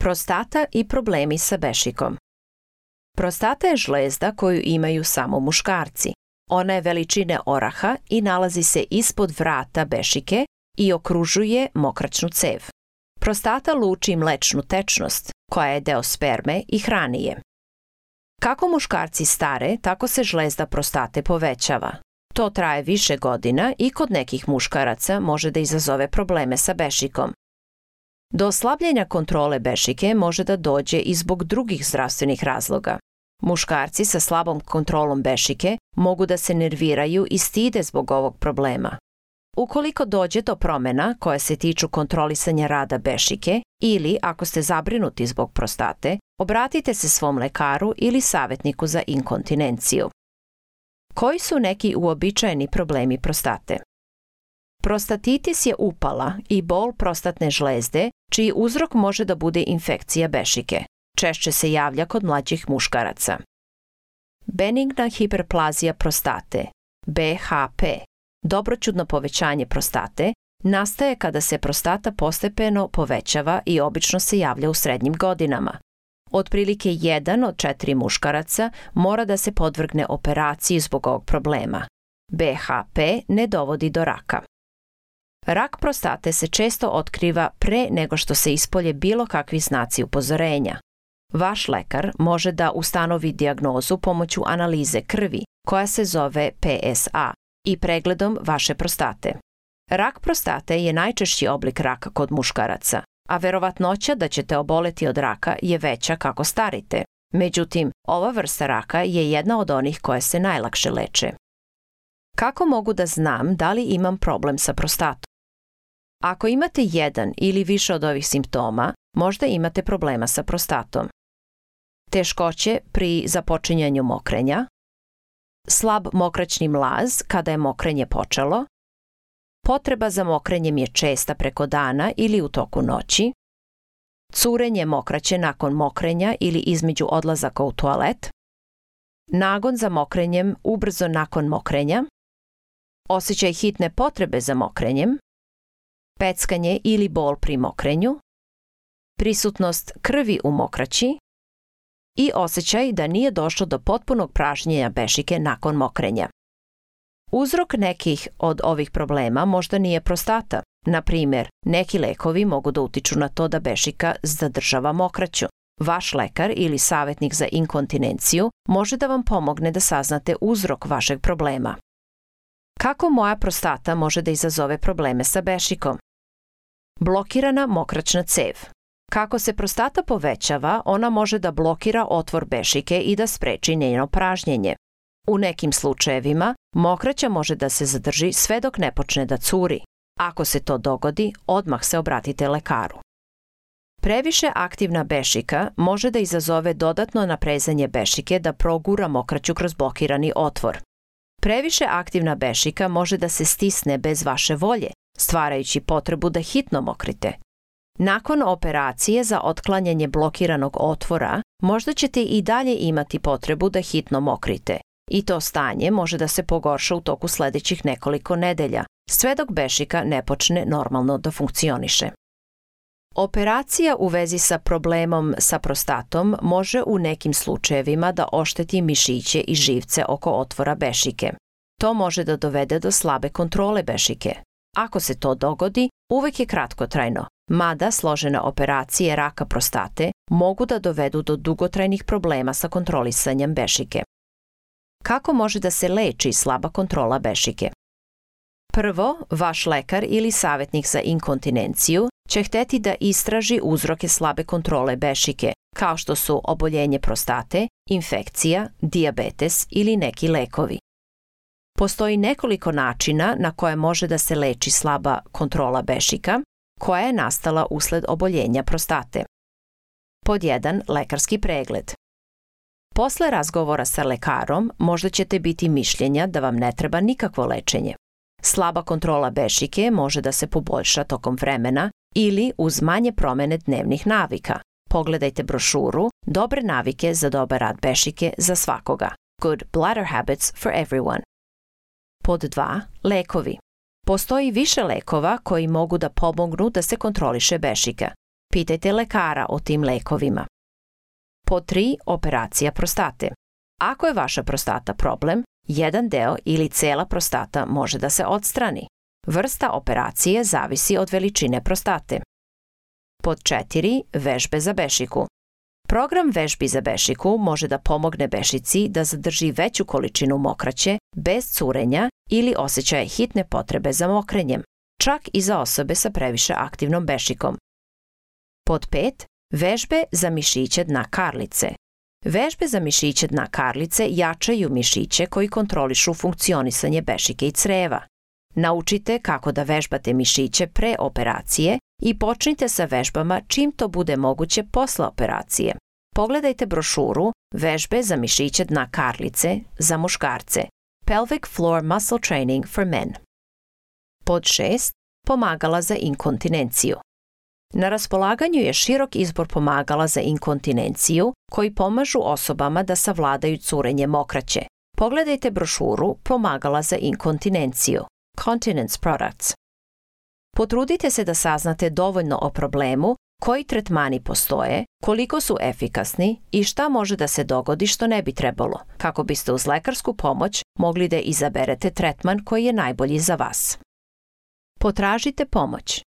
Prostata i problemi sa bešikom. Prostata je žlezda koju imaju samo muškarci. Ona je veličine oraha i nalazi se ispod vrata bešike i okružuje mokraćnu cev. Prostata luči mlečnu tečnost, koja je deo sperme i hrani je. Kako muškarci stare, tako se žlezda prostate povećava. To traje više godina i kod nekih muškaraca može da izazove probleme sa bešikom. Do oslabljenja kontrole bešike može da dođe i zbog drugih zdravstvenih razloga. Muškarci sa slabom kontrolom bešike mogu da se nerviraju i stide zbog ovog problema. Ukoliko dođe do promena koje se tiču kontrolisanja rada bešike ili ako ste zabrinuti zbog prostate, obratite se svom lekaru ili savjetniku za inkontinenciju. Koji su neki uobičajeni problemi prostate? Prostatitis je upala i bol prostatne žlezde, čiji uzrok može da bude infekcija bešike. Češće se javlja kod mlađih muškaraca. Benigna hiperplazija prostate, BHP, dobroćudno povećanje prostate, nastaje kada se prostata postepeno povećava i obično se javlja u srednjim godinama. Otprilike 1 od 4 muškaraca mora da se podvrgne operaciji zbog ovog problema. BHP ne dovodi do raka. Rak prostate se često otkriva pre nego što se ispolje bilo kakvi znaci upozorenja. Vaš lekar može da ustanovi dijagnozu pomoću analize krvi, koja se zove PSA, i pregledom vaše prostate. Rak prostate je najčešći oblik raka kod muškaraca, a verovatnoća da ćete oboleti od raka je veća kako starite. Međutim, ova vrsta raka je jedna od onih koje se najlakše leče. Kako mogu da znam da li imam problem sa prostatom? Ako imate jedan ili više od ovih simptoma, možda imate problema sa prostatom. Teškoće pri započinjanju mokrenja, slab mokraćni mlaz kada je mokrenje počelo, potreba za mokrenjem je česta preko dana ili u toku noći, curenje mokraće nakon mokrenja ili između odlazaka u toalet, nagon za mokrenjem ubrzo nakon mokrenja, osjećaj hitne potrebe za mokrenjem, peckanje ili bol pri mokrenju, prisutnost krvi u mokraći i osjećaj da nije došlo do potpunog pražnjenja bešike nakon mokrenja. Uzrok nekih od ovih problema možda nije prostata. Na primjer, neki lekovi mogu da utiču na to da bešika zadržava mokraću. Vaš lekar ili savjetnik za inkontinenciju može da vam pomogne da saznate uzrok vašeg problema. Kako moja prostata može da izazove probleme sa bešikom? Blokirana mokraćna cev. Kako se prostata povećava, ona može da blokira otvor bešike i da spreči njeno pražnjenje. U nekim slučajevima, mokraća može da se zadrži sve dok ne počne da curi. Ako se to dogodi, odmah se obratite lekaru. Previše aktivna bešika može da izazove dodatno naprezanje bešike da progura mokraću kroz blokirani otvor. Previše aktivna bešika može da se stisne bez vaše volje, stvarajući potrebu da hitno mokrite. Nakon operacije za otklanjanje blokiranog otvora, možda ćete i dalje imati potrebu da hitno mokrite. I to stanje može da se pogorša u toku sledećih nekoliko nedelja, sve dok bešika ne počne normalno da funkcioniše. Operacija u vezi sa problemom sa prostatom može u nekim slučajevima da ošteti mišiće i živce oko otvora bešike. To može da dovede do slabe kontrole bešike. Ako se to dogodi, uvek je kratkotrajno, mada složene operacije raka prostate mogu da dovedu do dugotrajnih problema sa kontrolisanjem bešike. Kako može da se leči slaba kontrola bešike? Prvo, vaš lekar ili savjetnik za inkontinenciju će hteti da istraži uzroke slabe kontrole bešike, kao što su oboljenje prostate, infekcija, dijabetes ili neki lekovi. Postoji nekoliko načina na koje može da se leči slaba kontrola bešika, koja je nastala usled oboljenja prostate. Pod 1. Lekarski pregled. Posle razgovora sa lekarom možda ćete biti mišljenja da vam ne treba nikakvo lečenje. Slaba kontrola bešike može da se poboljša tokom vremena ili uz manje promene dnevnih navika. Pogledajte brošuru Dobre navike za dobar rad bešike za svakoga. Good bladder habits for everyone. Pod 2. Lekovi. Postoji više lekova koji mogu da pomognu da se kontroliše bešika. Pitajte lekara o tim lekovima. Pod 3. Operacija prostate. Ako je vaša prostata problem, jedan deo ili cela prostata može da se odstrani. Vrsta operacije zavisi od veličine prostate. Pod 4. Vežbe za bešiku. Program vežbi za bešiku može da pomogne bešici da zadrži veću količinu mokraće bez curenja ili osjećaja hitne potrebe za mokrenjem, čak i za osobe sa previše aktivnom bešikom. Pod 5. Vežbe za mišiće dna karlice. Vežbe za mišiće dna karlice jačaju mišiće koji kontrolišu funkcionisanje bešike i creva. Naučite kako da vežbate mišiće pre operacije i počnite sa vežbama čim to bude moguće posle operacije. Pogledajte brošuru Vežbe za mišiće dna karlice za muškarce. Pelvic Floor Muscle Training for Men. Pod 6. Pomagala za inkontinenciju. Na raspolaganju je širok izbor pomagala za inkontinenciju koji pomažu osobama da savladaju curenje mokraće. Pogledajte brošuru Pomagala za inkontinenciju. Continence Products. Potrudite se da saznate dovoljno o problemu, koji tretmani postoje, koliko su efikasni i šta može da se dogodi što ne bi trebalo, kako biste uz lekarsku pomoć mogli da izaberete tretman koji je najbolji za vas. Potražite pomoć.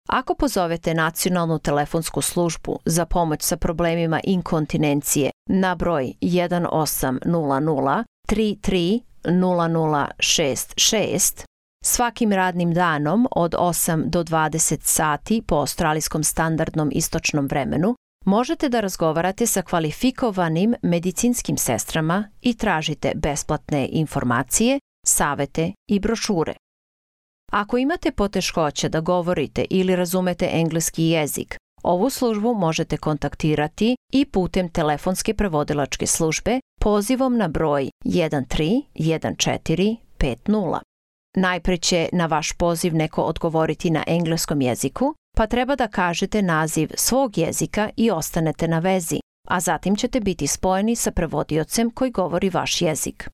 Ako pozovete nacionalnu telefonsku službu za pomoć sa problemima inkontinencije na broj 1800 33 0066 svakim radnim danom od 8 do 20 sati po australijskom standardnom istočnom vremenu, možete da razgovarate sa kvalifikovanim medicinskim sestrama i tražite besplatne informacije, savete i brošure. Ako imate poteškoća da govorite ili razumete engleski jezik, ovu službu možete kontaktirati i putem telefonske prevodilačke službe pozivom na broj 131450. Najpre će na vaš poziv neko odgovoriti na engleskom jeziku, pa treba da kažete naziv svog jezika i ostanete na vezi, a zatim ćete biti spojeni sa prevodiocem koji govori vaš jezik.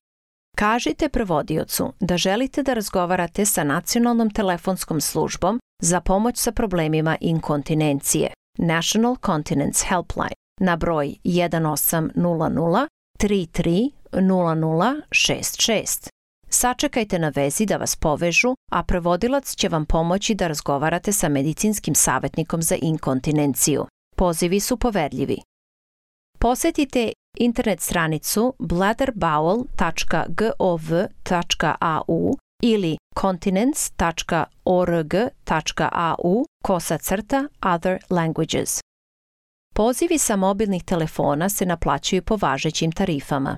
Kažite prevodiocu da želite da razgovarate sa nacionalnom telefonskom službom za pomoć sa problemima inkontinencije, National Continence Helpline, na broj 1800 33 0066. Sačekajte na vezi da vas povežu, a prevodilac će vam pomoći da razgovarate sa medicinskim savjetnikom za inkontinenciju. Pozivi su poverljivi. Posetite internet stranicu bladderbowel.gov.au ili continence.org.au/other languages. Pozivi sa mobilnih telefona se naplaćuju po važećim tarifama.